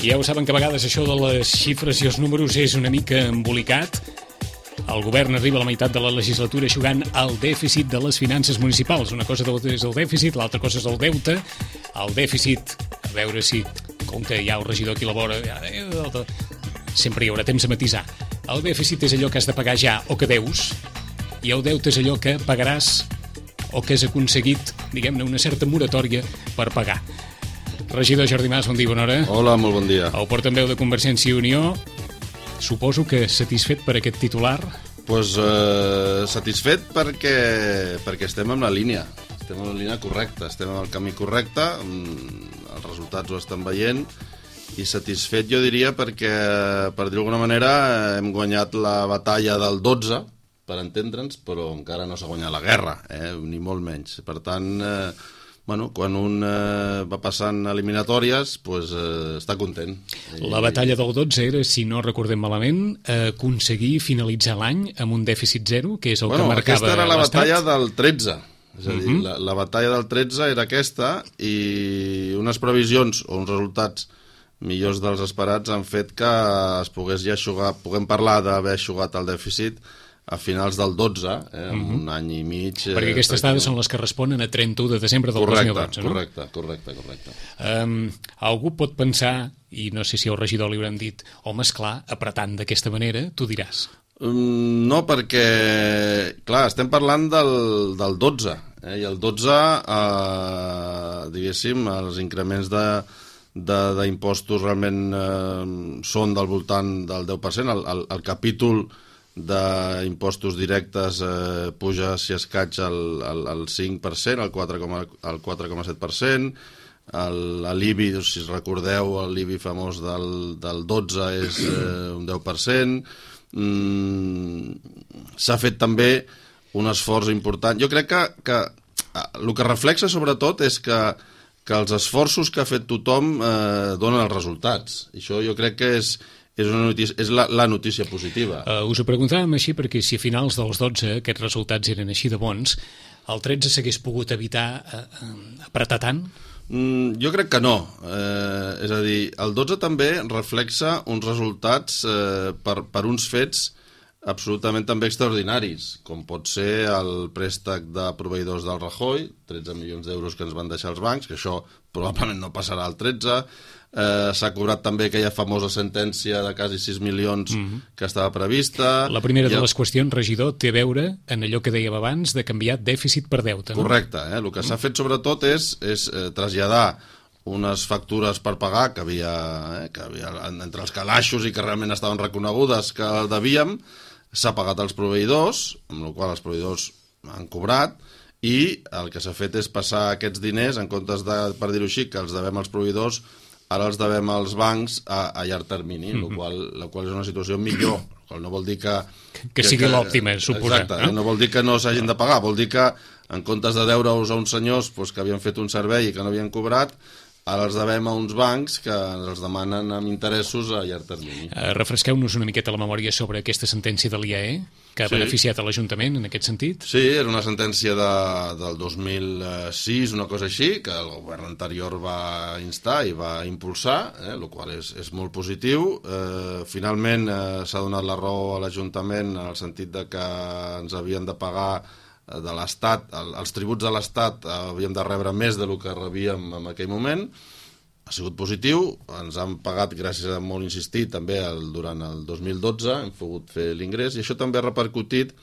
Ja ho saben que a vegades això de les xifres i els números és una mica embolicat. El govern arriba a la meitat de la legislatura eixugant el dèficit de les finances municipals. Una cosa és el dèficit, l'altra cosa és el deute. El dèficit, a veure si, com que hi ha el regidor aquí a la vora, sempre hi haurà temps a matisar. El dèficit és allò que has de pagar ja o que deus, i el deute és allò que pagaràs o que has aconseguit, diguem-ne, una certa moratòria per pagar. Regidor Jordi Mas, bon dia, bona hora. Hola, molt bon dia. El portaveu de Convergència i Unió, suposo que satisfet per aquest titular? Doncs satisfet perquè estem en la línia. Estem en la línia correcta, estem en el camí correcte, els resultats ho estan veient, i satisfet jo diria perquè, per dir d'alguna manera, hem guanyat la batalla del 12, per entendre'ns, però encara no s'ha guanyat la guerra, ni molt menys. Per tant, quan un va passant eliminatòries, està content. La batalla del 12 era, si no recordem malament, aconseguir finalitzar l'any amb un dèficit zero, que és el que marcava l'Estat. Aquesta era la batalla del 13. És a dir, la batalla del 13 era aquesta, i unes previsions o uns resultats millors dels esperats han fet que es pogués ja eixugar, puguem parlar d'haver eixugat el dèficit a finals del 12, amb un any i mig. Perquè aquestes dades són les que responen a 31 de desembre del 2012, no? Correcte. Algú pot pensar, i no sé si al regidor li hauran dit, home, esclar, apretant d'aquesta manera, tu diràs. No, perquè, clar, estem parlant del 12, i el 12, diguéssim, els increments d'impostos realment són del voltant del 10%, el capítol d'impostos directes puja, si escaig, al 5%, al 4,7%, l'IBI, si recordeu, l'IBI famós del 12 és un 10%, s'ha fet també un esforç important. Jo crec que el que reflexa sobretot és que els esforços que ha fet tothom donen els resultats. Això jo crec que és la notícia positiva. Us ho preguntàvem així perquè si a finals dels 12 aquests resultats eren així de bons, el 13 s'hagués pogut evitar apretar tant? Jo crec que no. És a dir, el 12 també reflexa uns resultats per uns fets absolutament també extraordinaris, com pot ser el préstec de proveïdors del Rajoy, 13 milions d'euros que ens van deixar els bancs, que això probablement no passarà al 13. S'ha cobrat també aquella famosa sentència de quasi 6 milions que estava prevista. La primera de les qüestions, regidor, té a veure en allò que dèiem abans de canviar dèficit per deute. Correcte. El que s'ha fet sobretot és traslladar unes factures per pagar que havia entre els calaixos i que realment estaven reconegudes que devíem. S'ha pagat als proveïdors, amb la qual cosa els proveïdors han cobrat, i el que s'ha fet és passar aquests diners, en comptes de, per dir-ho així, que els devem als proveïdors, ara els devem als bancs a llarg termini, la qual és una situació millor. No vol dir que sigui l'òptima, suposa. Exacte, no vol dir que no s'hagin de pagar, vol dir que en comptes de deure-us a uns senyors que havien fet un servei i que no havien cobrat, ara els devem a uns bancs que els demanen amb interessos a llarg termini. Refresqueu-nos una miqueta la memòria sobre aquesta sentència de l'IAE, que ha beneficiat a l'Ajuntament en aquest sentit. Sí, era una sentència del 2006, una cosa així, que el govern anterior va instar i va impulsar, el qual és molt positiu. Finalment s'ha donat la raó a l'Ajuntament en el sentit de que ens havien de pagar de l'Estat, els tributs de l'Estat havíem de rebre més del que rebíem en aquell moment. Ha sigut positiu, ens han pagat gràcies a molt insistir també durant el 2012, hem pogut fer l'ingrés, i això també ha repercutit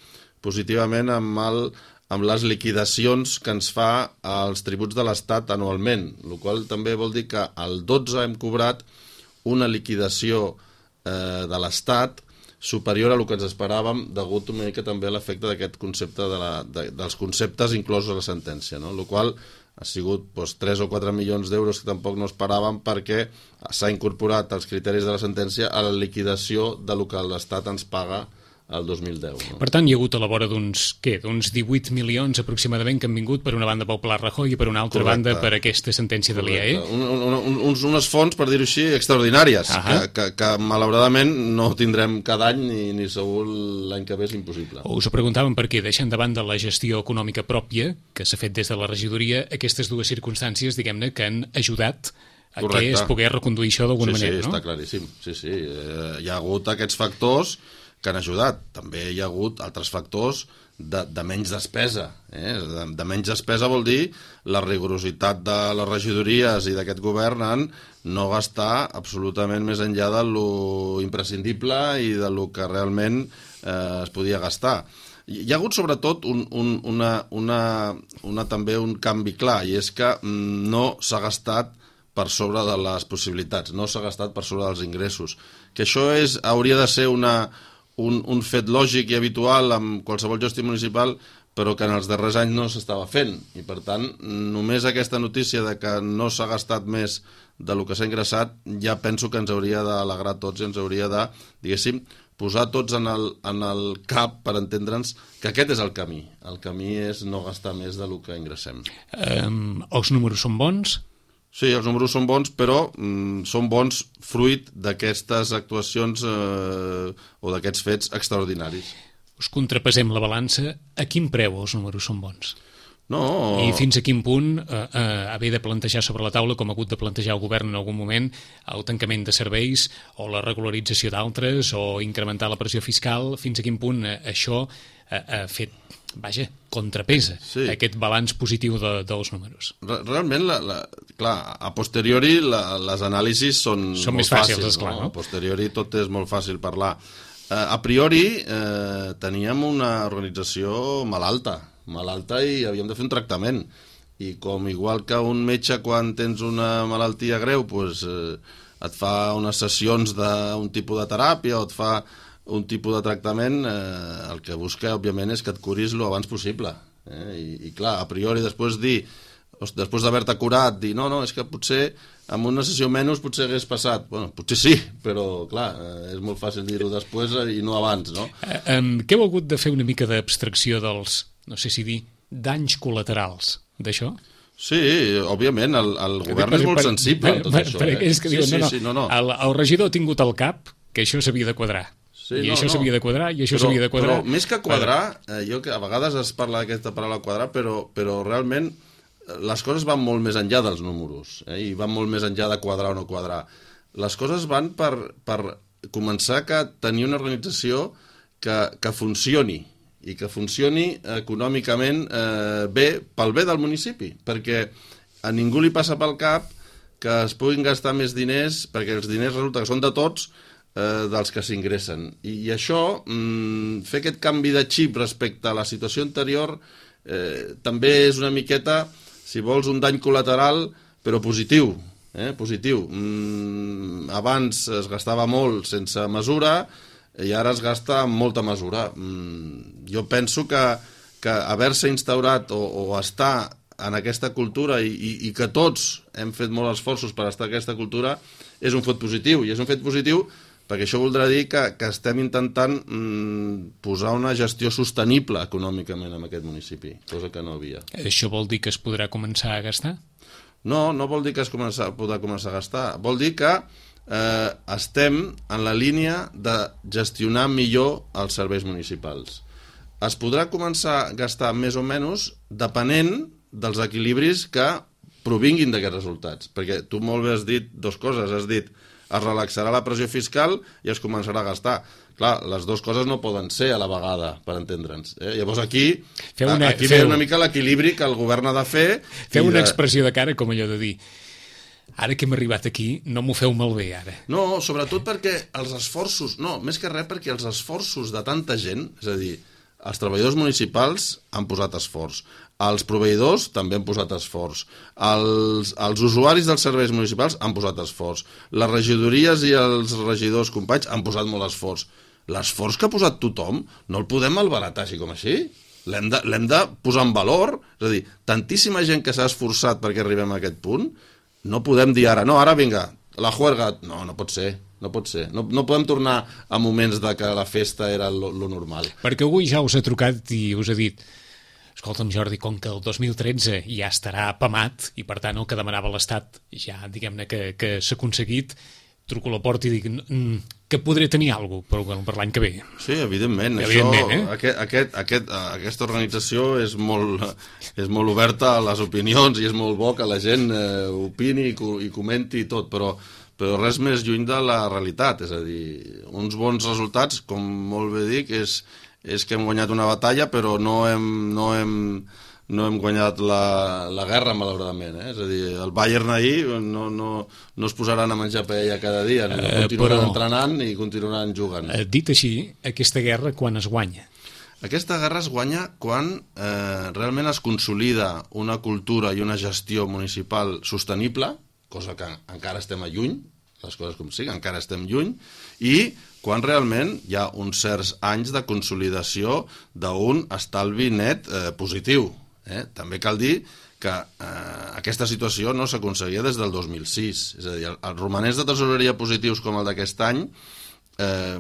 positivament amb les liquidacions que ens fa els tributs de l'Estat anualment, el qual també vol dir que al 12 hem cobrat una liquidació de l'Estat superior a el que ens esperàvem, degut una mica també a l'efecte d'aquest concepte dels conceptes inclosos a la sentència, el qual ha sigut 3 o 4 milions d'euros que tampoc no esperàvem, perquè s'ha incorporat als criteris de la sentència a la liquidació de lo que l'Estat ens paga el 2010. Per tant, hi ha hagut a la vora d'uns 18 milions aproximadament que han vingut per una banda pel Pla Rajoy i per una altra banda per aquesta sentència de l'IAE. Unes fonts, per dir-ho així, extraordinàries, que malauradament no tindrem cada any ni segur l'any que ve és impossible. Us ho preguntàvem perquè, deixant de banda la gestió econòmica pròpia que s'ha fet des de la regidoria, aquestes dues circumstàncies, diguem-ne, que han ajudat que es pogués reconduir això d'alguna manera, no? Sí, està claríssim. Sí. Hi ha hagut aquests factors que han ajudat. També hi ha hagut altres factors de menys despesa. De menys despesa vol dir la rigorositat de les regidories i d'aquest govern en no gastar absolutament més enllà de lo imprescindible i de lo que realment es podia gastar. Hi ha hagut sobretot també un canvi clar, i és que no s'ha gastat per sobre de les possibilitats, no s'ha gastat per sobre dels ingressos. Que això hauria de ser un fet lògic i habitual amb qualsevol gestió municipal, però que en els darrers anys no s'estava fent. I, per tant, només aquesta notícia de que no s'ha gastat més del que s'ha ingressat, ja penso que ens hauria d'alegrar a tots i ens hauria de, diguéssim, posar tots en el cap per entendre'ns que aquest és el camí. El camí és no gastar més del que ingressem. Els números són bons? Sí, els números són bons, però són bons fruit d'aquestes actuacions o d'aquests fets extraordinaris. Us contrapesem la balança. A quin preu els números són bons? No. I fins a quin punt haver de plantejar sobre la taula, com ha hagut de plantejar el govern en algun moment, el tancament de serveis o la regularització d'altres o incrementar la pressió fiscal, fins a quin punt això ha fet, contrapesa aquest balanç positiu dels números? Realment, clar, a posteriori les anàlisis són més fàcils, esclar, no? A posteriori tot és molt fàcil parlar. A priori teníem una organització malalta i havíem de fer un tractament. I com igual que un metge quan tens una malaltia greu et fa unes sessions d'un tipus de teràpia o et fa un tipus de tractament, el que busca, òbviament, és que et curis lo abans possible. I clar, a priori, després d'haver-te curat, dir, no, és que potser amb una sessió menys potser hagués passat. Bueno, potser sí, però clar, és molt fàcil dir-ho després i no abans, no? Què heu hagut de fer una mica d'abstracció dels, no sé si dir, danys col·laterals d'això? Sí, òbviament, el govern és molt sensible a tot això. És que diuen, no. El regidor ha tingut al cap que això s'havia de quadrar. Sí, I això s'havia de quadrar, i això s'havia de quadrar. Però més que quadrar, jo que a vegades es parla d'aquesta paraula quadrar, però realment les coses van molt més enllà dels números, i van molt més enllà de quadrar o no quadrar. Les coses van per començar a tenir una organització que funcioni, i que funcioni econòmicament bé, pel bé del municipi, perquè a ningú li passa pel cap que es puguin gastar més diners, perquè els diners resulta que són de tots, dels que s'ingressen. I això, fer aquest canvi de xip respecte a la situació anterior, també és una miqueta, si vols, un dany col·lateral, però positiu. Positiu. Abans es gastava molt sense mesura i ara es gasta amb molta mesura. Jo penso que haver-se instaurat o estar en aquesta cultura i que tots hem fet molts esforços per estar en aquesta cultura és un fet positiu. I és un fet positiu perquè això voldrà dir que estem intentant posar una gestió sostenible econòmicament en aquest municipi, cosa que no havia. Això vol dir que es podrà començar a gastar? No vol dir que es podrà començar a gastar. Vol dir que estem en la línia de gestionar millor els serveis municipals. Es podrà començar a gastar més o menys depenent dels equilibris que provinguin d'aquests resultats. Perquè tu molt bé has dit dues coses. Has dit es relaxarà la pressió fiscal i es començarà a gastar. Clar, les dues coses no poden ser a la vegada, per entendre'ns. Llavors aquí ve una mica l'equilibri que el govern ha de fer. Feu una expressió de cara com allò de dir ara que hem arribat aquí, no m'ho feu malbé, ara. No, sobretot perquè els esforços, més que res perquè els esforços de tanta gent, és a dir, els treballadors municipals han posat esforç, els proveïdors també han posat esforç, els usuaris dels serveis municipals han posat esforç, les regidories i els regidors companys han posat molt esforç. L'esforç que ha posat tothom no el podem malbaratar així com així. L'hem de posar en valor. És a dir, tantíssima gent que s'ha esforçat perquè arribem a aquest punt, no podem dir ara, ara vinga, la juerga. No pot ser. No pot ser. No podem tornar a moments de que la festa era lo normal. Perquè avui ja us ha trucat i us ha dit escolta'm, Jordi, com que el 2013 ja estarà apamat i, per tant, el que demanava l'Estat ja, diguem-ne, que s'ha aconseguit, truco a la porta i dic que podré tenir alguna cosa per l'any que ve. Sí, evidentment. Aquesta organització és molt oberta a les opinions i és molt bo que la gent opini i comenti tot, però res més lluny de la realitat. És a dir, uns bons resultats, com molt bé dic, és que hem guanyat una batalla, però no hem guanyat la guerra, malauradament. És a dir, el Bayern ahir no es posaran a menjar paella cada dia, continuaran entrenant i continuaran jugant. Dit així, aquesta guerra quan es guanya? Aquesta guerra es guanya quan realment es consolida una cultura i una gestió municipal sostenible, cosa que encara estem lluny, les coses com siguin, encara estem lluny, i quan realment hi ha uns certs anys de consolidació d'un estalvi net positiu. També cal dir que aquesta situació no s'aconseguia des del 2006. És a dir, els romanents de tresoreria positius com el d'aquest any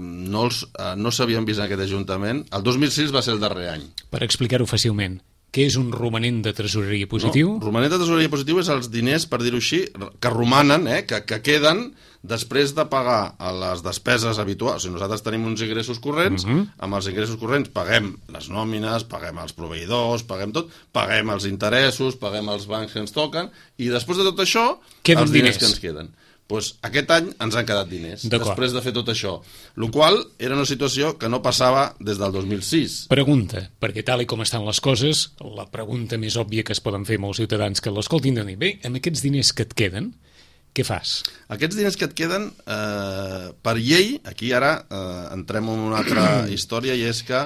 no s'havien vist en aquest Ajuntament. El 2006 va ser el darrer any. Per explicar-ho fàcilment, què és un romanent de tresoreria positiu? No, romanent de tresoreria positiu és els diners, per dir-ho així, que romanen, que queden després de pagar les despeses habituals. Si nosaltres tenim uns ingressos corrents, amb els ingressos corrents paguem les nòmines, paguem els proveïdors, paguem tot, paguem els interessos, paguem els bancs que ens toquen, i després de tot això, els diners que ens queden. Doncs aquest any ens han quedat diners, després de fer tot això. El qual era una situació que no passava des del 2006. Pregunta, perquè tal i com estan les coses, la pregunta més òbvia que es poden fer molts ciutadans que l'escoltin de dir, bé, amb aquests diners que et queden, què fas? Aquests diners que et queden, per llei, aquí ara entrem en una altra història, i és que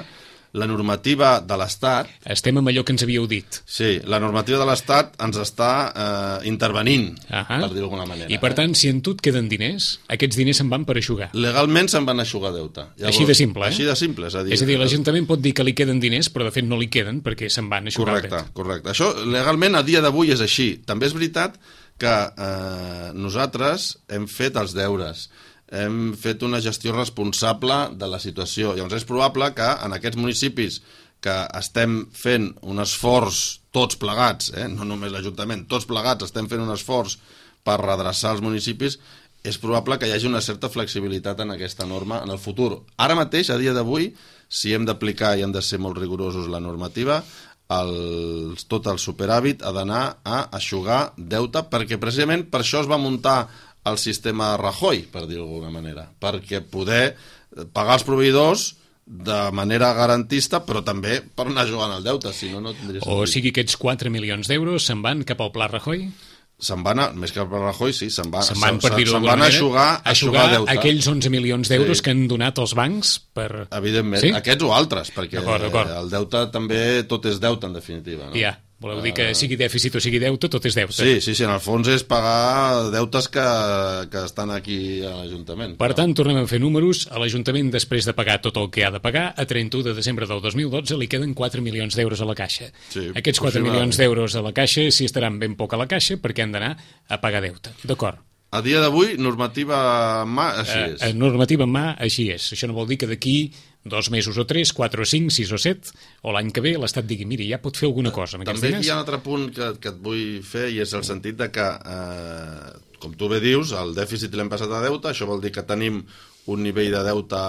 la normativa de l'Estat... Estem amb allò que ens havíeu dit. Sí, la normativa de l'Estat ens està intervenint, per dir-ho d'alguna manera. I per tant, si en tu et queden diners, aquests diners se'n van per eixugar. Legalment se'n van a eixugar deute. Llavors, així de simple, Així de simple, és a dir, l'Ajuntament pot dir que li queden diners, però de fet no li queden perquè se'n van eixugar el deute. Correcte. Això legalment a dia d'avui és així. També és veritat que nosaltres hem fet els deures, hem fet una gestió responsable de la situació. Llavors és probable que en aquests municipis que estem fent un esforç tots plegats, no només l'Ajuntament, tots plegats estem fent un esforç per redreçar els municipis, és probable que hi hagi una certa flexibilitat en aquesta norma en el futur. Ara mateix, a dia d'avui, si hem d'aplicar i hem de ser molt rigorosos la normativa, tot el superàvit ha d'anar a eixugar deute, perquè precisament per això es va muntar el sistema Rajoy, per dir-ho d'alguna manera, perquè poder pagar els proveïdors de manera garantista, però també per anar jugant al deute, si no, no tindria sentit. O sigui, aquests 4 milions d'euros se'n van cap al Pla Rajoy? Se'n van, més que per Rajoy, sí, se'n van a eixugar deute. Aquells 11 milions d'euros que han donat els bancs per... Evidentment, aquests o altres, perquè el deute també, tot és deute, en definitiva. Ja, voleu dir que sigui dèficit o sigui deute, tot és deute. Sí, en el fons és pagar deutes que estan aquí a l'Ajuntament. Per tant, tornem a fer números. A l'Ajuntament, després de pagar tot el que ha de pagar, a 31 de desembre del 2012 li queden 4 milions d'euros a la caixa. Aquests 4 milions d'euros a la caixa s'hi estaran ben poc a la caixa perquè han d'anar a pagar deute. D'acord. A dia d'avui, normativa en mà, així és. Normativa en mà, així és. Això no vol dir que d'aquí 2 mesos o 3, 4 o 5, 6 o 7, o l'any que ve l'Estat digui, miri, ja pot fer alguna cosa amb aquests diners. També hi ha un altre punt que et vull fer, i és el sentit de que, com tu bé dius, el dèficit l'hem passat a deute, això vol dir que tenim un nivell de deute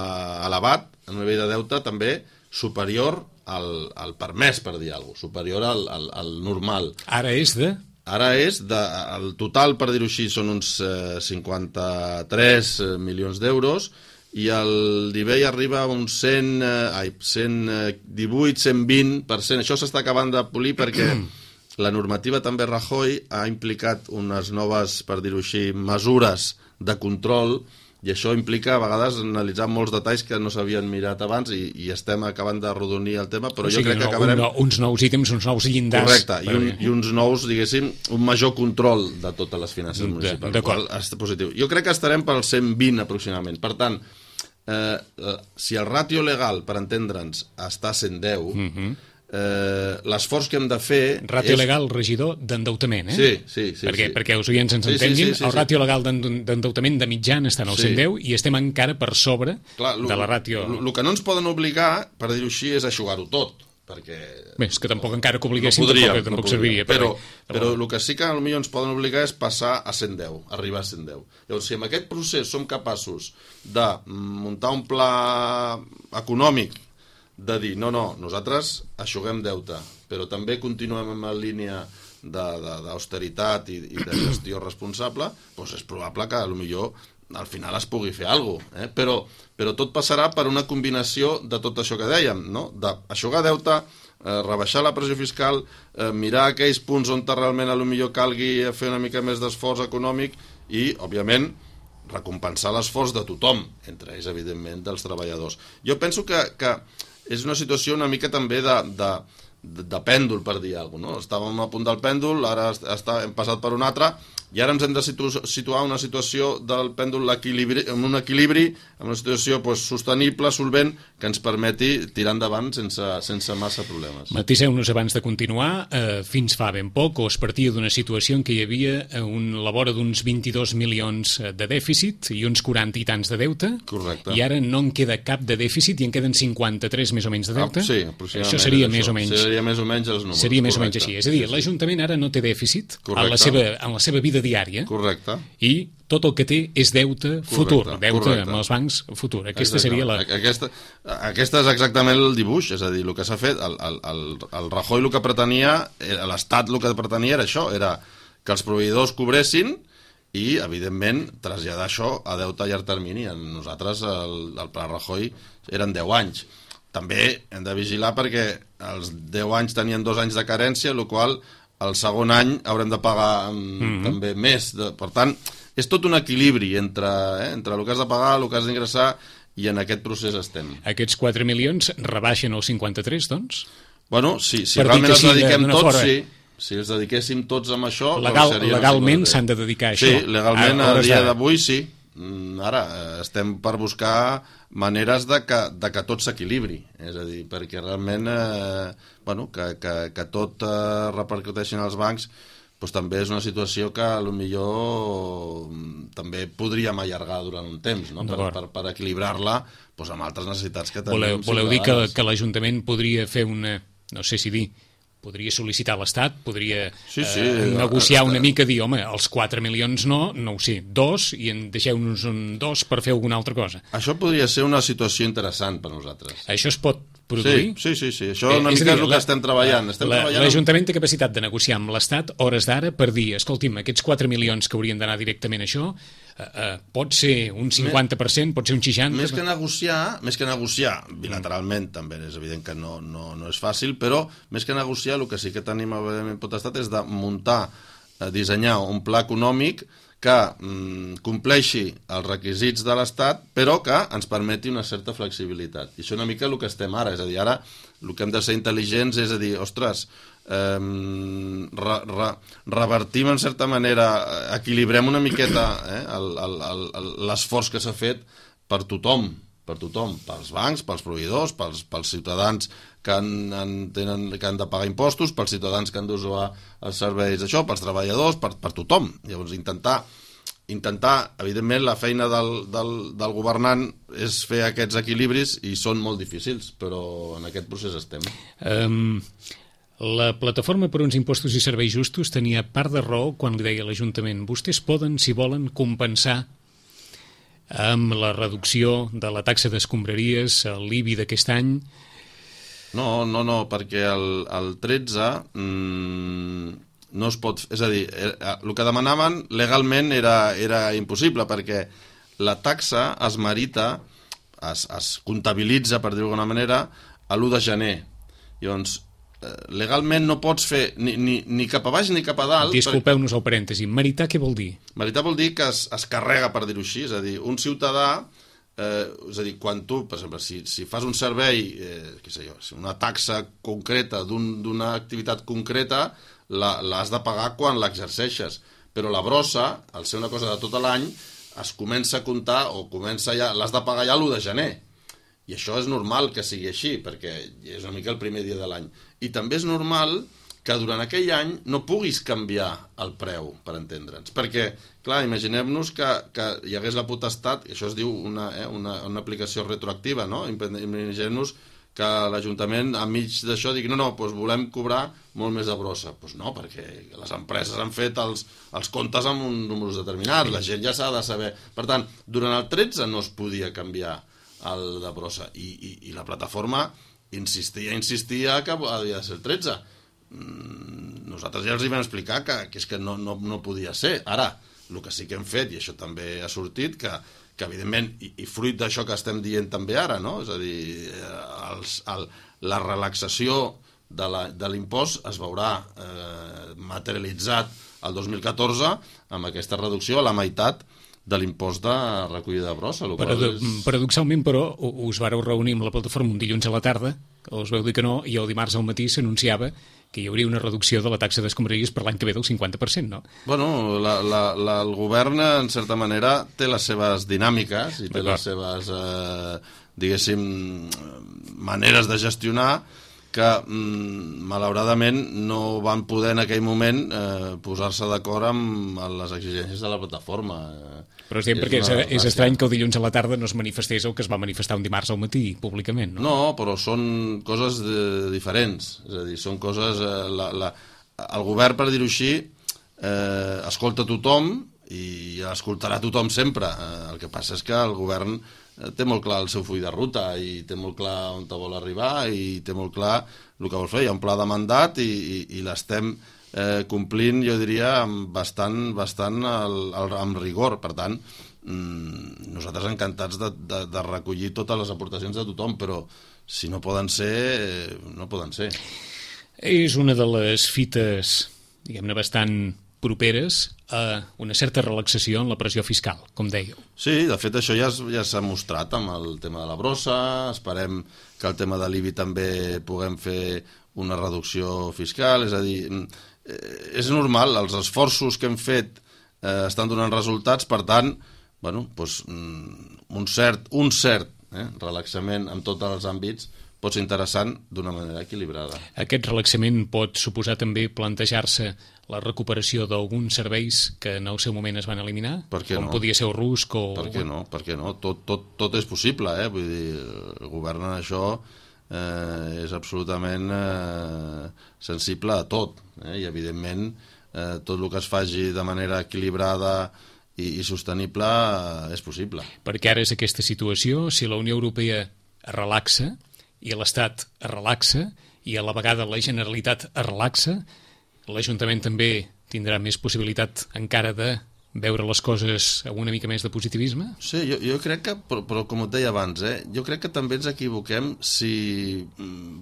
elevat, un nivell de deute també superior al permès, per dir alguna cosa, superior al normal. Ara és el total, per dir-ho així, són uns 53 milions d'euros, i el nivell arriba a uns 118, 120%. Això s'està acabant de polir perquè la normativa també Rajoy ha implicat unes noves, per dir-ho així, mesures de control, i això implica a vegades analitzar molts detalls que no s'havien mirat abans, i estem acabant de rodonir el tema, però jo crec que acabarem... Uns nous ítems, uns nous llindars... Correcte, i uns nous, diguéssim, un major control de totes les finances municipals. D'acord. És positiu. Jo crec que estarem pel 120 aproximadament. Per tant, si el ràtio legal, per entendre'ns, està a 110, l'esforç que hem de fer... Ràtio legal, regidor, d'endeutament, Sí. Perquè els oients ens entenguin, el ràtio legal d'endeutament de mitjan està en el 110 i estem encara per sobre de la ràtio... El que no ens poden obligar, per dir-ho així, és eixugar-ho tot. perquè... Bé, és que tampoc encara que obliguessin tampoc serviria. Però el que sí que potser ens poden obligar és passar a 110, arribar a 110. Llavors, si en aquest procés som capaços de muntar un pla econòmic, de dir, no, nosaltres aixuguem deute, però també continuem en la línia d'austeritat i de gestió responsable, doncs és probable que potser al final es pugui fer alguna cosa, però tot passarà per una combinació de tot això que dèiem, no? D'aixugar deute, rebaixar la pressió fiscal, mirar aquells punts on realment potser calgui fer una mica més d'esforç econòmic i, òbviament, recompensar l'esforç de tothom, entre ells, evidentment, dels treballadors. Jo penso que és una situació una mica també de pèndol, per dir alguna cosa, no? Estàvem a punt del pèndol, ara hem passat per un altre, i ara ens hem de situar en una situació del pèndol en un equilibri, en una situació sostenible, solvent, que ens permeti tirar endavant sense massa problemes. Matiseu-nos abans de continuar, fins fa ben poc, es partia d'una situació en què hi havia la vora d'uns 22 milions de dèficit i uns 40 i tants de deute. Correcte. I ara no en queda cap de dèficit i en queden 53 més o menys de deute. Sí, aproximadament. Això seria més o menys. Seria més o menys els números. Seria més o menys així. És a dir, l'Ajuntament ara no té dèficit en la seva vida diària. Correcte. I tot el que té és deute futur, deute amb els bancs futur. Aquesta seria la... Aquesta és exactament el dibuix, és a dir, el que s'ha fet, el Rajoy el que pretenia, l'Estat el que pretenia era això, era que els proveïdors cobressin i, evidentment, traslladar això a deute a llarg termini. Nosaltres, el pla Rajoy, eren 10 anys. També hem de vigilar perquè els 10 anys tenien 2 anys de carència, el qual el segon any haurem de pagar també més. Per tant, és tot un equilibri entre el que has de pagar, el que has d'ingressar, i en aquest procés estem. Aquests 4 milions rebaixen els 53, doncs? Bueno, si realment els dediquem tots, sí. Si els dediquéssim tots amb això... Legalment s'han de dedicar a això. Sí, legalment a dia d'avui sí. Ara estem per buscar maneres de que tot s'equilibri, és a dir, perquè realment que tot repercuteixi en els bancs també és una situació que potser també podríem allargar durant un temps, no? Per equilibrar-la amb altres necessitats que tenim. Voleu dir que l'Ajuntament podria fer una, no sé si dir, podria sol·licitar a l'Estat, podria negociar una mica, dir, home, els 4 milions no ho sé, 2, i en deixeu-nos un 2 per fer alguna altra cosa. Això podria ser una situació interessant per nosaltres. Això es pot produir? Sí. Això una mica és el que estem treballant. L'Ajuntament té capacitat de negociar amb l'Estat hores d'ara per dir, escolti'm, aquests 4 milions que haurien d'anar directament a això, pot ser un 50%, pot ser un 60%... Més que negociar, bilateralment també és evident que no és fàcil, però més que negociar el que sí que tenim potestat és de muntar, dissenyar un pla econòmic que compleixi els requisits de l'Estat, però que ens permeti una certa flexibilitat. I això és una mica el que estem ara, és a dir, ara el que hem de ser intel·ligents és a dir, ostres, revertim en certa manera, equilibrem una miqueta l'esforç que s'ha fet per tothom, pels bancs, pels proveïdors, pels ciutadans que han de pagar impostos, pels ciutadans que han d'usar els serveis d'això, pels treballadors, per tothom. Llavors, intentar, evidentment, la feina del governant és fer aquests equilibris i són molt difícils, però en aquest procés estem. La Plataforma per uns impostos i serveis justos tenia part de raó quan li deia a l'Ajuntament, vostès poden, si volen, compensar amb la reducció de la taxa d'escombraries, l'IBI d'aquest any. No, perquè el 13 no es pot... És a dir, el que demanaven legalment era impossible, perquè la taxa es merita, es comptabilitza, per dir-ho d'alguna manera, a l'1 de gener. Llavors, legalment no pots fer ni cap a baix ni cap a dalt. Disculpeu-nos el parèntesi. Meritar què vol dir? Meritar vol dir que es carrega, per dir-ho així. És a dir, un ciutadà, és a dir, quan tu, per exemple, si fas un servei, una taxa concreta d'una activitat concreta, l'has de pagar quan l'exerceixes. Però la brossa, al ser una cosa de tot l'any, es comença a comptar o l'has de pagar ja l'1 de gener. I això és normal que sigui així, perquè és una mica el primer dia de l'any. I també és normal que durant aquell any no puguis canviar el preu, per entendre'ns. Perquè, clar, imaginem-nos que hi hagués la potestat, i això es diu una aplicació retroactiva, no? Imaginem-nos que l'Ajuntament enmig d'això digui no, doncs volem cobrar molt més de brossa. Doncs no, perquè les empreses han fet els comptes amb uns números determinats, la gent ja s'ha de saber. Per tant, durant el 13 no es podia canviar el de brossa i la plataforma insistia que havia de ser el 13. Nosaltres ja els hi vam explicar que és que no podia ser. Ara, el que sí que hem fet, i això també ha sortit, que evidentment, i fruit d'això que estem dient també ara, no? És a dir, la relaxació de l'impost es veurà materialitzat el 2014 amb aquesta reducció a la meitat de l'impost de recollida de brossa. Paradoxalment, però, us vareu reunir amb la plataforma un dilluns a la tarda, us veu dir que no, i el dimarts al matí s'anunciava que hi hauria una reducció de la taxa d'escombraries per l'any que ve del 50%, no? Bueno, el govern, en certa manera, té les seves dinàmiques i té les seves, diguéssim, maneres de gestionar que, malauradament, no van poder en aquell moment posar-se d'acord amb les exigències de la plataforma. Però és perquè és estrany que el dilluns a la tarda no es manifestés el que es va manifestar un dimarts al matí, públicament, no? No, però són coses diferents. És a dir, són coses... El govern, per dir-ho així, escolta tothom i escoltarà tothom sempre. El que passa és que el govern té molt clar el seu full de ruta i té molt clar on vol arribar i té molt clar el que vol fer. Hi ha un pla de mandat i l'estem complint, jo diria, bastant amb rigor. Per tant, nosaltres encantats de recollir totes les aportacions de tothom, però si no poden ser, no poden ser. És una de les fites, diguem-ne, bastant properes a una certa relaxació en la pressió fiscal, com dèieu. Sí, de fet això ja s'ha mostrat amb el tema de la brossa. Esperem que el tema de l'IBI també puguem fer una reducció fiscal, és a dir, és normal, els esforços que hem fet estan donant resultats, per tant, bueno, doncs, un cert relaxament en tots els àmbits pot ser interessant d'una manera equilibrada. Aquest relaxament pot suposar també plantejar-se la recuperació d'alguns serveis que en el seu moment es van eliminar? Com podia ser el RUSC o... Per què no? Per què no? Tot és possible, Vull dir, el govern en això és absolutament sensible a tot, i evidentment tot el que es faci de manera equilibrada i sostenible és possible. Perquè ara és aquesta situació, si la Unió Europea es relaxa i l'Estat es relaxa i a la vegada la Generalitat es relaxa, l'Ajuntament també tindrà més possibilitat encara de veure les coses amb una mica més de positivisme? Sí, jo crec que, però com et deia abans, jo crec que també ens equivoquem si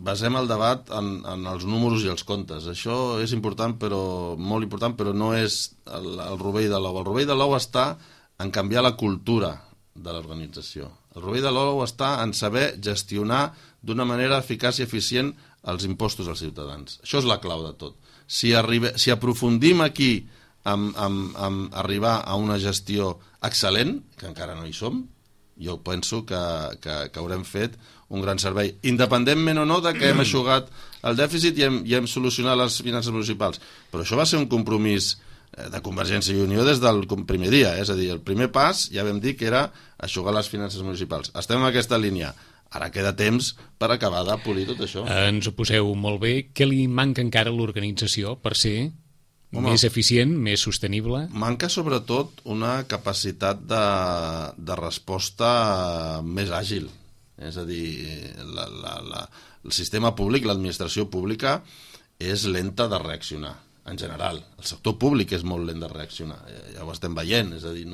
basem el debat en els números i els comptes. Això és important, però molt important, però no és el rovell de l'ou. El rovell de l'ou està en canviar la cultura de l'organització. El rovell de l'ou està en saber gestionar d'una manera eficaç i eficient els impostos als ciutadans. Això és la clau de tot. Si aprofundim aquí amb arribar a una gestió excel·lent, que encara no hi som, jo penso que haurem fet un gran servei, independentment o no de que hem eixugat el dèficit i hem solucionat les finances municipals. Però això va ser un compromís de Convergència i Unió des del primer dia, és a dir, el primer pas ja vam dir que era eixugar les finances municipals. Estem en aquesta línia. Ara queda temps per acabar de polir tot això. Ens ho poseu molt bé. Què li manca encara a l'organització per ser més eficient, més sostenible? Manca sobretot una capacitat de resposta més àgil. És a dir, el sistema públic, l'administració pública, és lenta de reaccionar, en general. El sector públic és molt lent de reaccionar, ja ho estem veient, és a dir,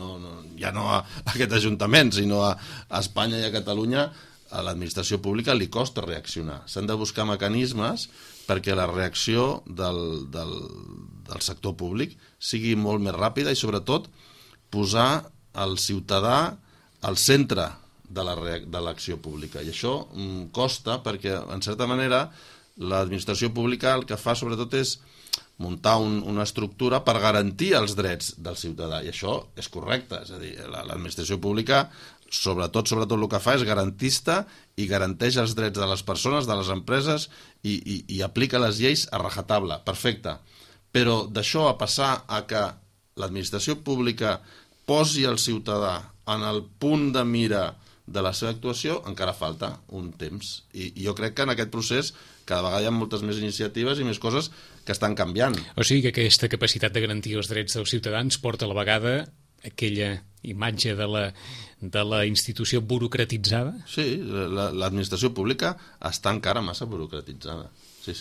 ja no a aquest Ajuntament, sinó a Espanya i a Catalunya, a l'administració pública li costa reaccionar. S'han de buscar mecanismes perquè la reacció del sector públic sigui molt més ràpida i, sobretot, posar el ciutadà al centre de l'acció pública. I això costa perquè, en certa manera, l'administració pública el que fa, sobretot, és muntar una estructura per garantir els drets del ciutadà. I això és correcte. És a dir, l'administració pública sobretot el que fa és garantista i garanteix els drets de les persones, de les empreses i aplica les lleis a rajatabla, perfecte. Però d'això a passar a que l'administració pública posi el ciutadà en el punt de mira de la seva actuació, encara falta un temps. I jo crec que en aquest procés cada vegada hi ha moltes més iniciatives i més coses que estan canviant. O sigui que aquesta capacitat de garantir els drets dels ciutadans porta a la vegada aquella imatge de la institució burocratitzada? Sí, l'administració pública està encara massa burocratitzada. Sí,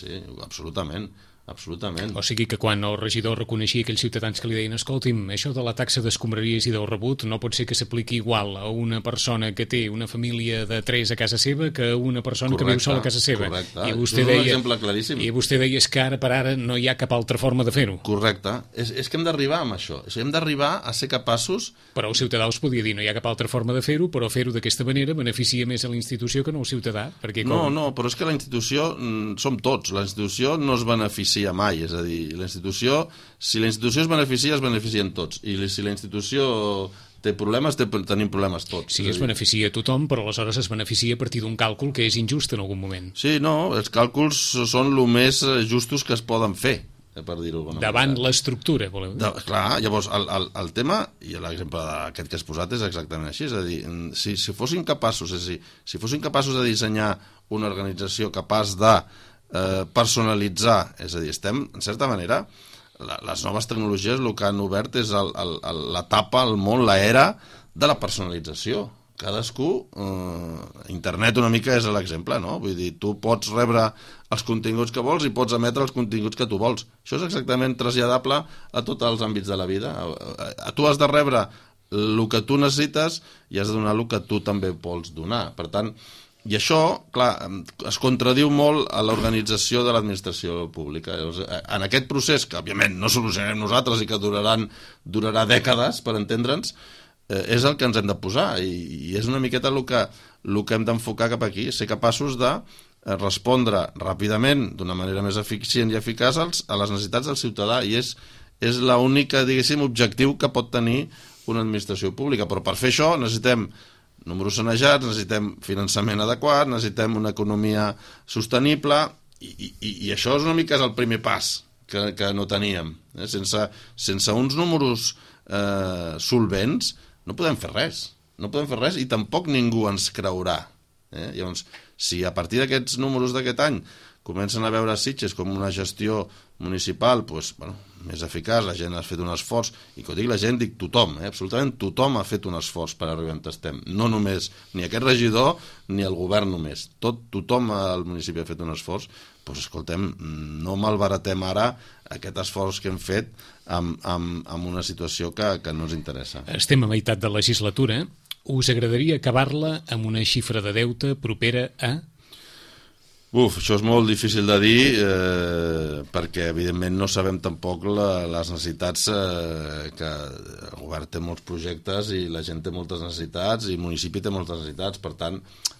absolutament. Absolutament. O sigui que quan el regidor reconeixia aquells ciutadans que li deien escolti'm, això de la taxa d'escombraries i del rebut no pot ser que s'apliqui igual a una persona que té una família de 3 a casa seva que a una persona que viu sola a casa seva. Correcte. I vostè és un deia, exemple claríssim. I vostè deia que ara per ara no hi ha cap altra forma de fer-ho. Correcte. És que hem d'arribar amb això. Hem d'arribar a ser capaços... Però el ciutadà us podia dir no hi ha cap altra forma de fer-ho, però fer-ho d'aquesta manera beneficia més a la institució que no al ciutadà. Perquè No, però és que la institució som tots. La institució no es beneficia mai, és a dir, si la institució es beneficien tots, i si la institució té problemes, tenim problemes tots. Sí, es beneficia a tothom, però aleshores es beneficia a partir d'un càlcul que és injust en algun moment. Sí, no, els càlculs són el més justos que es poden fer, per dir-ho d'alguna manera. Davant l'estructura, voleu dir? Clar, llavors el tema, i l'exemple d'aquest que has posat és exactament així, és a dir, si fossin capaços, si fossin capaços de dissenyar una organització capaç de personalitzar, és a dir, en certa manera, les noves tecnologies el que han obert és l'etapa, el món, l'era de la personalització. Cadascú, internet una mica és l'exemple, no? Vull dir, tu pots rebre els continguts que vols i pots emetre els continguts que tu vols. Això és exactament traslladable a tots els àmbits de la vida. Tu has de rebre el que tu necessites i has de donar el que tu també vols donar. Per tant, i això, clar, es contradiu molt a l'organització de l'administració pública. En aquest procés, que òbviament no solucionarem nosaltres i que durarà dècades, per entendre'ns, és el que ens hem de posar, i és una miqueta el que hem d'enfocar cap aquí, ser capaços de respondre ràpidament, d'una manera més eficient i eficaç, a les necessitats del ciutadà, i és l'única, diguéssim, objectiu que pot tenir una administració pública. Però per fer això necessitem números sanejats, necessitem finançament adequat, necessitem una economia sostenible, i això és una mica el primer pas que no teníem. Sense uns números solvents no podem fer res, i tampoc ningú ens creurà. Llavors, si a partir d'aquests números d'aquest any comencen a veure Sitges com una gestió municipal més eficaç, la gent ha fet un esforç, i quan dic la gent dic tothom, absolutament tothom ha fet un esforç per arribar on estem, no només ni aquest regidor ni el govern només, tothom al municipi ha fet un esforç. Doncs escoltem, no malbaratem ara aquest esforç que hem fet amb una situació que no ens interessa. Estem a meitat de legislatura. Us agradaria acabar-la amb una xifra de deute propera a... Això és molt difícil de dir, perquè evidentment no sabem tampoc les necessitats, que el govern té molts projectes i la gent té moltes necessitats i el municipi té moltes necessitats. Per tant,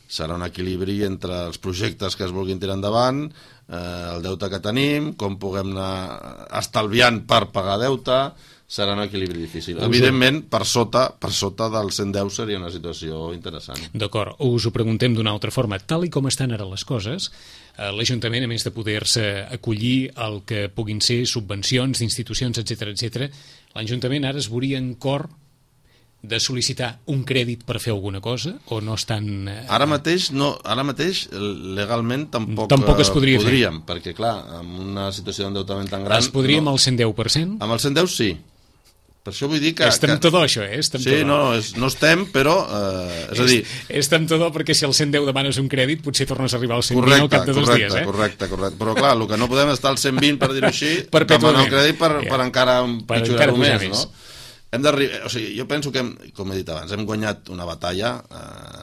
serà un equilibri entre els projectes que es vulguin tirar endavant, el deute que tenim, com puguem anar estalviant per pagar deute. Serà un equilibri difícil. Evidentment, per sota del 110 seria una situació interessant. D'acord, us ho preguntem d'una altra forma. Tal i com estan ara les coses, l'Ajuntament, a més de poder-se acollir el que puguin ser subvencions d'institucions, etc., l'Ajuntament ara es veuria en cor de sol·licitar un crèdit per fer alguna cosa, o no estan... Ara mateix legalment tampoc es podríem, perquè clar, amb una situació d'endeutament tan gran... Es podria amb el 110%? Amb el 110 sí. Per això vull dir que... És temptador, això, Sí, no estem, però... És a dir... És temptador perquè si al 110 demanes un crèdit potser tornes a arribar al 120 al cap de 2 dies, Correcte. Però clar, el que no podem estar al 120, per dir-ho així, demanar un crèdit per encara pitjorar-ho més, no? Jo penso que, com he dit abans, hem guanyat una batalla,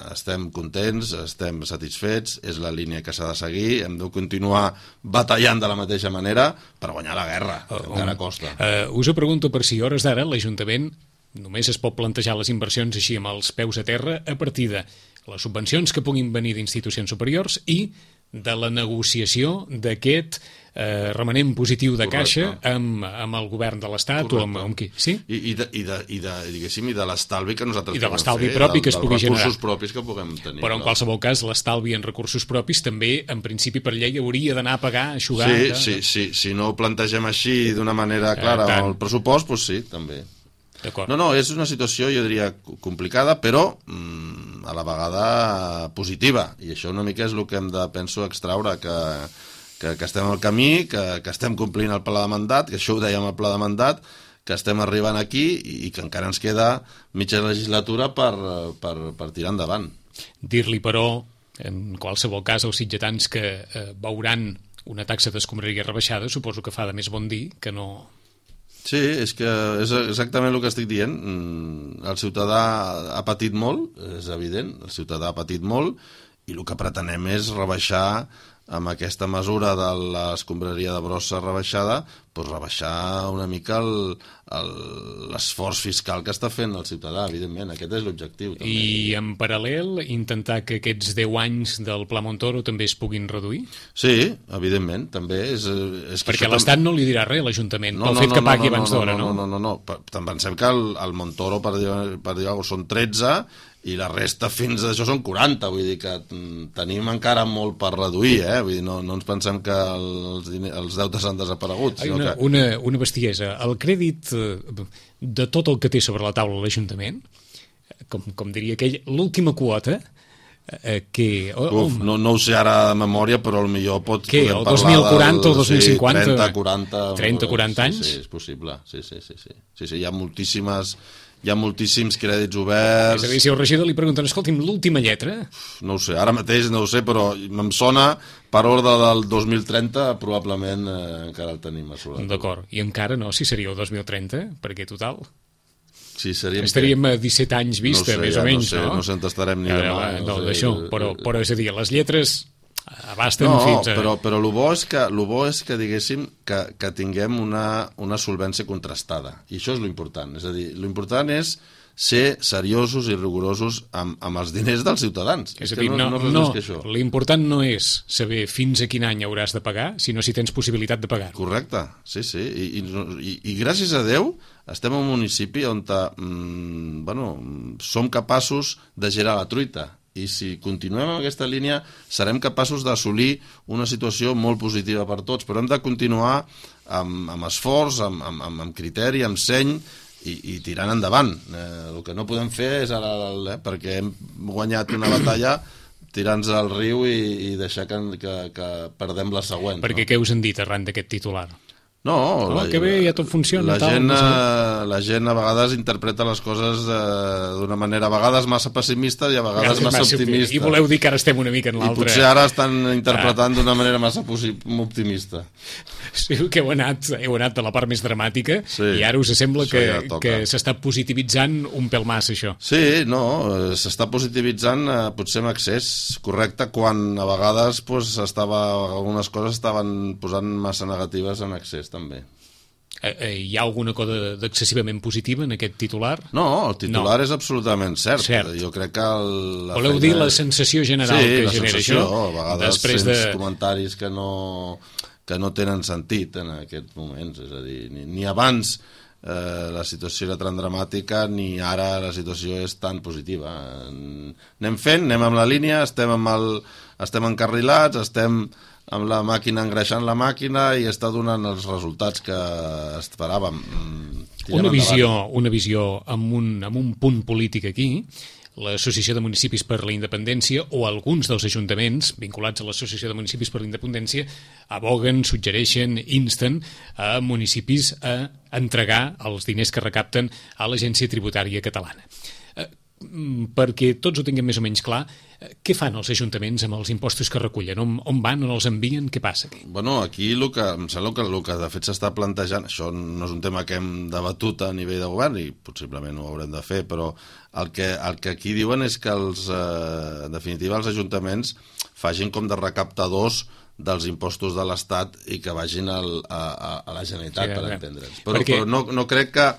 estem contents, estem satisfets, és la línia que s'ha de seguir, hem de continuar batallant de la mateixa manera per guanyar la guerra, que encara costa. Us ho pregunto per si a hores d'ara l'Ajuntament només es pot plantejar les inversions així amb els peus a terra a partir de les subvencions que puguin venir d'institucions superiors i de la negociació d'aquest remanent positiu de caixa amb el govern de l'Estat o amb qui? Sí? I de l'estalvi que nosaltres i de l'estalvi propi que es pugui generar. Dels recursos propis que puguem tenir. Però en qualsevol cas l'estalvi en recursos propis també en principi per llei hauria d'anar a pagar, a eixugar... Sí, si no ho plantegem així d'una manera clara al pressupost, doncs sí, també. D'acord. No, és una situació, jo diria, complicada, però a la vegada positiva, i això una mica és el que hem de, penso, extraure, que estem al camí, que estem complint el pla de mandat, que això ho dèiem al pla de mandat, que estem arribant aquí i que encara ens queda mitja legislatura per tirar endavant. Dir-li, però, en qualsevol cas, als sitgetans que veuran una taxa d'escombraria rebaixada, suposo que fa de més bon dir que no... Sí, és que és exactament el que estic dient. El ciutadà ha patit molt, és evident, el ciutadà ha patit molt, i el que pretenem és rebaixar, amb aquesta mesura de l'escombraria de brossa rebaixada, doncs rebaixar una mica l'esforç fiscal que està fent el ciutadà, evidentment. Aquest és l'objectiu. També. I en paral·lel, intentar que aquests 10 anys del Pla Montoro també es puguin reduir? Sí, evidentment, també. És que perquè l'Estat no li dirà res a l'Ajuntament, pel fet que pagui abans d'hora, no? No. Pensem que el Montoro, per dir alguna cosa, són 13, i la resta fins a això són 40, vull dir que tenim encara molt per reduir, vull dir, no ens pensem que els deutes han desaparegut. Una bestiesa. El crèdit de tot el que té sobre la taula l'Ajuntament, com diria aquell, l'última quota, que... no ho sé ara de memòria, però potser podem parlar del... Què, el 2040 o 2050? 30-40 anys? Sí, és possible, sí, hi ha moltíssims crèdits oberts... És a dir, si el regidor li pregunten, escolti'm, l'última lletra? No ho sé, ara mateix no ho sé, però em sona, per ordre del 2030, probablement encara el tenim assolat. D'acord, i encara no, si seria el 2030, perquè total... Sí, estaríem a 17 anys vista, més o menys, no? No sé on estarem ni demà. No, d'això, però és a dir, les lletres abasten fins a... però el bo és que diguéssim que tinguem una solvència contrastada, i això és l'important. És a dir, l'important és ser seriosos i rigorosos amb els diners dels ciutadans. És a dir, l'important no és saber fins a quin any hauràs de pagar, sinó si tens possibilitat de pagar. Correcte, sí. I gràcies a Déu estem en un municipi on som capaços de girar la truita. I si continuem en aquesta línia serem capaços d'assolir una situació molt positiva per tots, però hem de continuar amb esforç, amb criteri, amb seny, i tirant endavant. El que no podem fer és ara, perquè hem guanyat una batalla, tirar-nos al riu i deixar que perdem la següent. Perquè què us han dit arran d'aquest titular? No, que bé, ja tot funciona. La gent a vegades interpreta les coses d'una manera a vegades massa pessimista i a vegades massa optimista. I voleu dir que ara estem una mica en l'altre. I potser ara estan interpretant d'una manera massa optimista. Sí, que heu anat de la part més dramàtica, i ara us sembla que s'està positivitzant un pèl massa, això. Sí, no, s'està positivitzant potser amb excés, correcte, quan a vegades algunes coses estaven posant massa negatives en excés, també. Hi ha alguna cosa d'excessivament positiva en aquest titular? No, el titular és absolutament cert. Jo crec que voleu dir la sensació general que genera això? A vegades sents comentaris que no tenen sentit en aquests moments. És a dir, ni abans la situació era tan dramàtica, ni ara la situació és tan positiva. Anem amb la línia, estem encarrilats, estem amb la màquina engreixant la màquina i està donant els resultats que esperàvem. Una visió amb un punt polític aquí. L'Associació de Municipis per la Independència o alguns dels ajuntaments vinculats a l'Associació de Municipis per la Independència aboguen, suggereixen, insten a municipis a entregar els diners que recapten a l'Agència Tributària Catalana. Perquè tots ho tinguem més o menys clar, què fan els ajuntaments amb els impostos que recullen? On van, on els envien? Què passa aquí? Bueno, aquí em sembla que el que de fet s'està plantejant, això no és un tema que hem debatut a nivell de govern i possiblement ho haurem de fer, però el que aquí diuen és que en definitiva els ajuntaments facin com de recaptadors dels impostos de l'Estat i que vagin a la Generalitat, per entendre'ns. Però no crec que...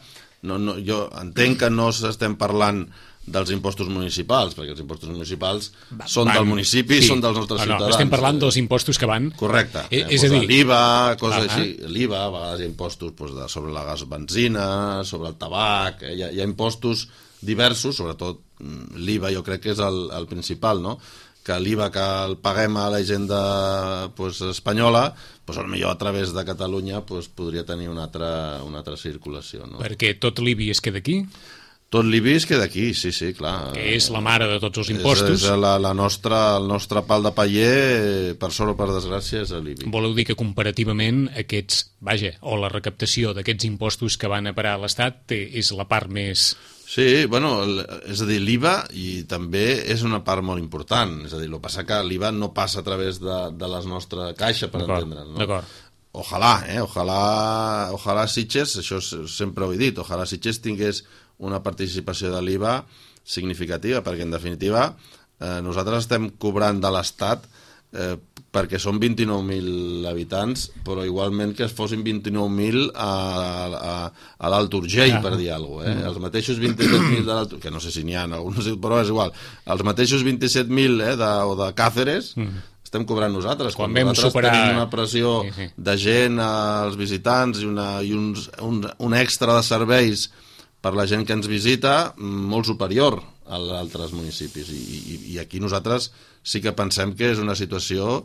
Jo entenc que no estem parlant dels impostos municipals, perquè els impostos municipals són del municipi, són dels nostres ciutadans. Estem parlant dels impostos que van... Correcte. És a dir... L'IVA, coses així. L'IVA, a vegades hi ha impostos sobre la benzina, sobre el tabac, hi ha impostos diversos, sobretot l'IVA jo crec que és el principal, no? Que l'IVA que el paguem a la hisenda espanyola, potser a través de Catalunya podria tenir una altra circulació. No? Perquè tot l'IBI es queda aquí? Tot l'IBI es queda aquí, sí, clar. Que és la mare de tots els impostos. És el nostre pal de paller, per sort o per desgràcia, és l'IBI. Voleu dir que comparativament o la recaptació d'aquests impostos que van a parar a l'Estat és la part més... Sí, bueno, és a dir, l'IVA i també és una part molt important. És a dir, el que passa que l'IVA no passa a través de la nostra caixa, per entendre'ns, no? D'acord. Ojalà Sitges, això sempre ho he dit, ojalà Sitges tingués una participació de l'IVA significativa, perquè en definitiva nosaltres estem cobrant de l'Estat perquè són 29.000 habitants, però igualment que es fossin 29.000 a l'Alt Urgell, per dir alguna cosa. Els mateixos 27.000 de l'Alt Urgell, que no sé si n'hi ha, però és igual, els mateixos 27.000 de Càceres estem cobrant nosaltres. Quan vam nosaltres superar... tenim una pressió de gent als visitants i un extra de serveis per la gent que ens visita molt superior a altres municipis, i aquí nosaltres sí que pensem que és una situació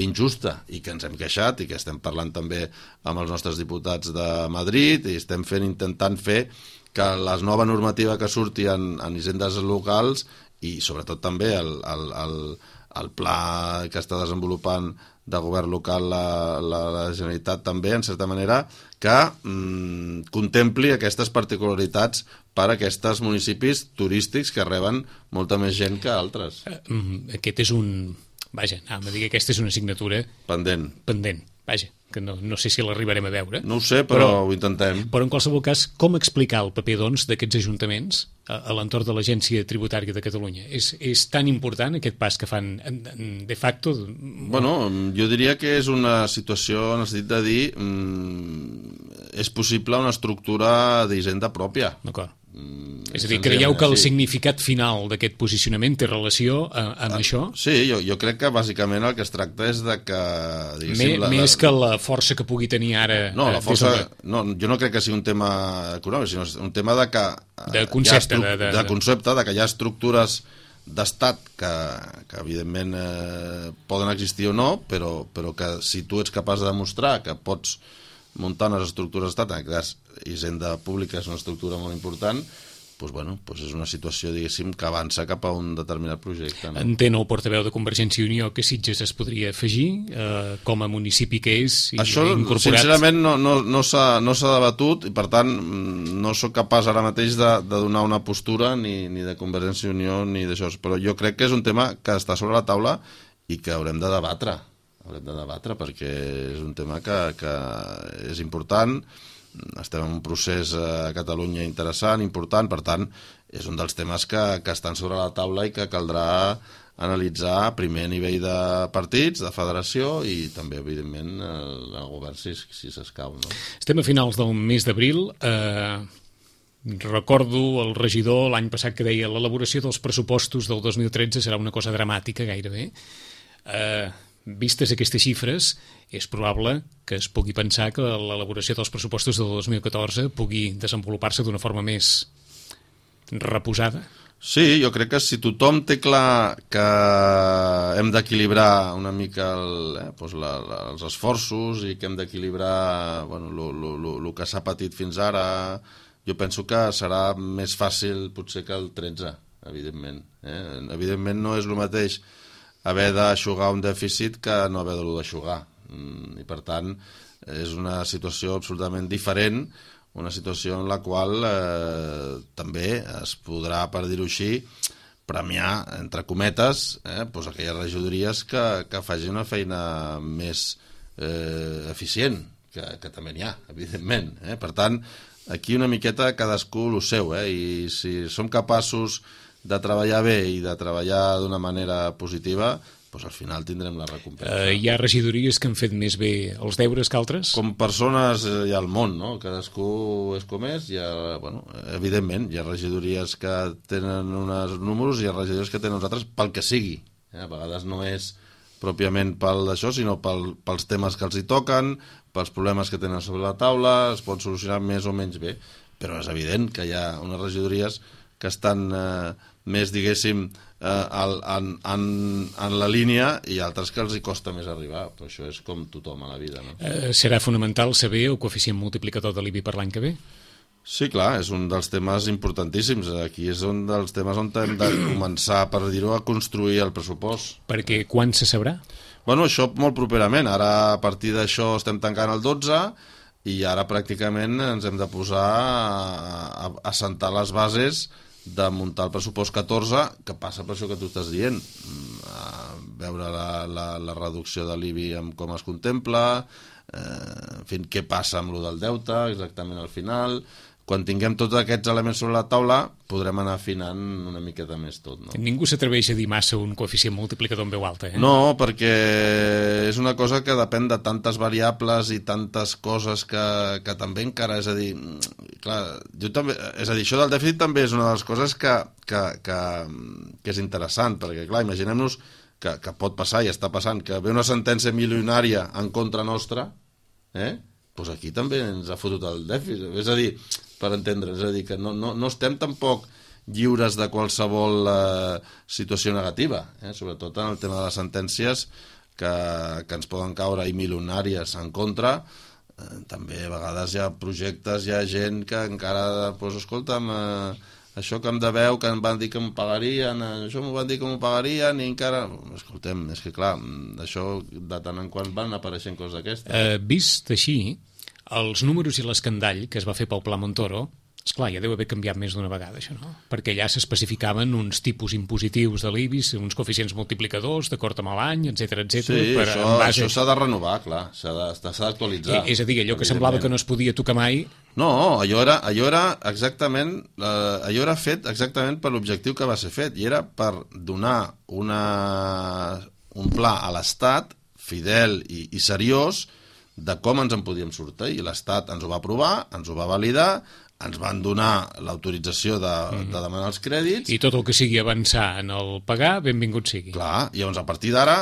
injusta i que ens hem queixat i que estem parlant també amb els nostres diputats de Madrid i estem intentant fer que la nova normativa que surti en hisendes locals i sobretot també el pla que està desenvolupant de govern local la Generalitat també, en certa manera, que contempli aquestes particularitats per a aquests municipis turístics que reben molta més gent que altres. Aquest és un... anàvem a dir que aquesta és una assignatura... Pendent. Que no sé si l'arribarem a veure. No ho sé, però ho intentem. Però en qualsevol cas, com explicar el paper, doncs, d'aquests ajuntaments a l'entorn de l'Agència Tributària de Catalunya? És tan important aquest pas que fan de facto? Bueno, jo diria que és una situació, en el sentit de dir, és possible una estructura d'hisenda pròpia. D'acord. És a dir, creieu que el significat final d'aquest posicionament té relació amb això? Sí, jo crec que bàsicament el que es tracta és de que... Més que la força que pugui tenir ara... No, la força... jo no crec que sigui un tema econòmic, sinó un tema de que... De concepte. De concepte, de que hi ha estructures d'estat que evidentment poden existir o no, però que si tu ets capaç de demostrar que pots muntar unes estructures d'estat, en aquest cas hisenda pública és una estructura molt important, doncs és una situació, diguéssim, que avança cap a un determinat projecte. No? Entén el portaveu de Convergència i Unió que Sitges es podria afegir com a municipi que és i això, incorporat... sincerament, no s'ha debatut i, per tant, no sóc capaç ara mateix de donar una postura ni de Convergència i Unió ni d'això, però jo crec que és un tema que està sobre la taula i que haurem de debatre. Perquè és un tema que és important, estem en un procés a Catalunya interessant, important, per tant és un dels temes que estan sobre la taula i que caldrà analitzar primer a nivell de partits, de federació i també, evidentment, el govern si s'escau. No? Estem a finals del mes d'abril. Recordo el regidor l'any passat que deia l'elaboració dels pressupostos del 2013 serà una cosa dramàtica gairebé. Vistes aquestes xifres, és probable que es pugui pensar que l'elaboració dels pressupostos del 2014 pugui desenvolupar-se d'una forma més reposada. Sí, jo crec que si tothom té clar que hem d'equilibrar una mica els esforços i que hem d'equilibrar el que s'ha patit fins ara, jo penso que serà més fàcil potser que el 13, evidentment. Evidentment no és el mateix haver d'aixugar un dèficit que no haver-lo d'aixugar. I, per tant, és una situació absolutament diferent, una situació en la qual també es podrà, per dir-ho així, premiar, entre cometes, aquelles regidories que facin una feina més eficient, que també n'hi ha, evidentment. Per tant, aquí una miqueta cadascú el seu, i si som capaços de treballar bé i de treballar d'una manera positiva, doncs al final tindrem la recompensa. Hi ha regidories que han fet més bé els deures que altres? Com persones hi ha al món, no? Cadascú és com és. Evidentment, hi ha regidories que tenen uns números i hi ha regidories que tenen uns altres pel que sigui. A vegades no és pròpiament pel d'això, sinó pels temes que els hi toquen, pels problemes que tenen sobre la taula, es pot solucionar més o menys bé. Però és evident que hi ha unes regidories que estan més, diguéssim, en la línia i altres que els hi costa més arribar, però això és com tothom a la vida, no? Serà fonamental saber el coeficient multiplicador de l'IBI per l'any que ve? Sí, clar, és un dels temes importantíssims. Aquí és un dels temes on hem de començar, per dir-ho, a construir el pressupost. Perquè quan se sabrà? Bueno, això molt properament. Ara, a partir d'això, estem tancant el 12 i ara pràcticament ens hem de posar a assentar les bases de muntar el pressupost 14, que passa per això que tu estàs dient. Veure la reducció de l'IBI amb com es contempla, en fi, què passa amb lo del deute exactament al final. Quan tinguem tots aquests elements sobre la taula podrem anar afinant una miqueta més tot, no? Ningú s'atreveix a dir massa un coeficient multiplicador en veu alta, eh? No, perquè és una cosa que depèn de tantes variables i tantes coses que també encara, és a dir, clar, jo també, és a dir, això del dèficit també és una de les coses que és interessant, perquè clar, imaginem-nos que pot passar i està passant, que ve una sentència milionària en contra nostra, doncs aquí també ens ha fotut el dèficit, és a dir, per entendre, és a dir, que no estem tampoc lliures de qualsevol situació negativa, sobretot en el tema de les sentències que ens poden caure i milionàries en contra. També a vegades hi ha projectes, hi ha gent que encara, doncs escolta'm, això que em deveu, que em van dir que m'ho pagarien, això m'ho van dir que m'ho pagarien i encara... Escoltem, és que clar, això de tant en quant van apareixent coses d'aquestes. Vist així, els números i l'escandall que es va fer pel Pla Montoro, esclar, ja deu haver canviat més d'una vegada, això, no? Perquè allà s'especificaven uns tipus impositius de l'IBI, uns coeficients multiplicadors, d'acord amb l'any, etc. Sí, això s'ha de renovar, clar, s'ha d'actualitzar. És a dir, allò que semblava que no es podia tocar mai... No, allò era exactament, allò era fet exactament per l'objectiu que va ser fet, i era per donar un pla a l'Estat fidel i seriós de com ens en podíem sortir, i l'Estat ens ho va aprovar, ens ho va validar, ens van donar l'autorització de demanar els crèdits. I tot el que sigui avançar en el pagar, benvingut sigui. Clar, i llavors a partir d'ara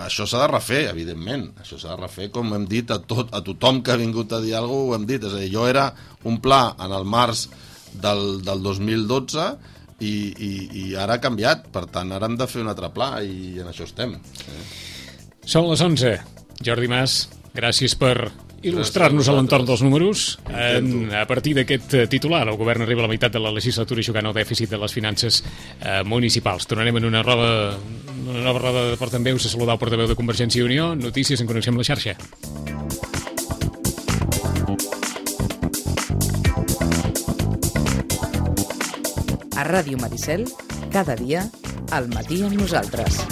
això s'ha de refer, evidentment. Això s'ha de refer, com hem dit, a tothom que ha vingut a dir alguna cosa, ho hem dit. És a dir, allò era un pla en el març del 2012 i ara ha canviat. Per tant, ara hem de fer un altre pla i en això estem. Són les 11. Jordi Mas, gràcies per il·lustrar-nos a l'entorn dels números. A partir d'aquest titular, el govern arriba a la meitat de la legislatura jugant al dèficit de les finances municipals. Tornarem en una nova roda de portaveus a saludar el portaveu de Convergència i Unió. Notícies en connexió amb la xarxa. A Ràdio Maricel, cada dia, al matí amb nosaltres.